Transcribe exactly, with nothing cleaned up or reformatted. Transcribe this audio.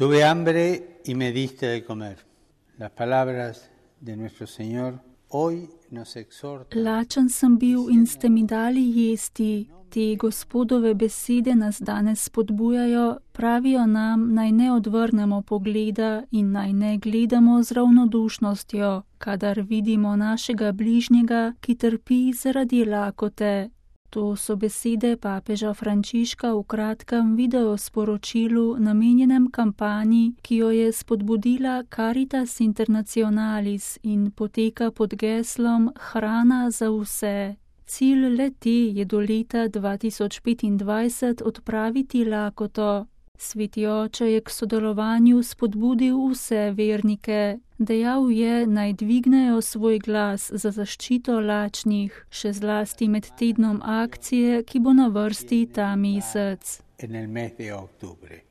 Tuve hambre y me diste de comer. Las palabras de nuestro Señor hoy nos exhortan. Lačen sem bil in ste mi dali jesti. Te Gospodove besede nas danes spodbujajo, pravijo nam, naj ne odvrnemo pogleda in naj ne gledamo z ravnodušnostjo, kadar vidimo našega bližnjega, ki trpi zaradi lakote. To so besede papeža Frančiška v kratkem videosporočilu namenjenem kampanji, ki jo je spodbudila Caritas Internationalis in poteka pod geslom Hrana za vse. Cilj le-te je do leta dva tisoč petindvajset odpraviti lakoto. Sveti oče je k sodelovanju spodbudil vse vernike. Dejal je, naj dvignejo svoj glas za zaščito lačnih, še zlasti med tednom akcije, ki bo na vrsti ta mesec. En el mes de octubre.